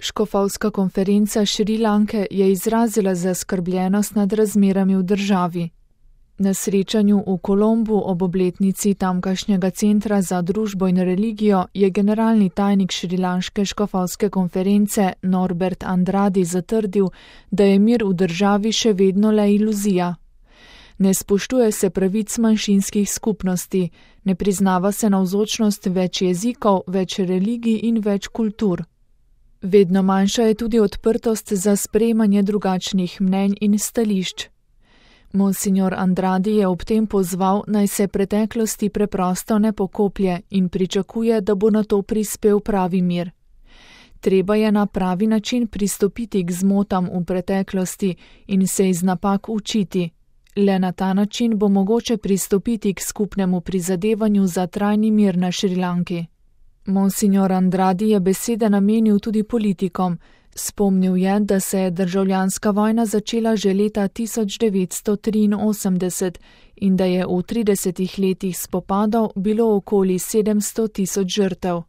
Škofovska konferenca Šrilanke je izrazila zaskrbljenost nad razmerami v državi. Na srečanju v Kolombu ob obletnici tamkajšnjega centra za družbo in religijo je generalni tajnik šrilanške škofovske konference Norbert Andradi zatrdil, da je mir v državi še vedno le iluzija. Ne spoštuje se pravic manjšinskih skupnosti, ne priznava se navzočnost več jezikov, več religij in več kultur. Vedno manjša je tudi odprtost za sprejemanje drugačnih mnenj in stališč. Monsignor Andradi je ob tem pozval, naj se preteklosti preprosto ne pokoplje in pričakuje, da bo na to prispel pravi mir. Treba je na pravi način pristopiti k zmotam v preteklosti in se iz napak učiti. Le na ta način bo mogoče pristopiti k skupnemu prizadevanju za trajni mir na Šrilanki. Monsignor Andradi je besede namenil tudi politikom. Spomnil je, da se je državljanska vojna začela že leta 1983 in da je v 30 letih spopadov bilo okoli 700 000 žrtev.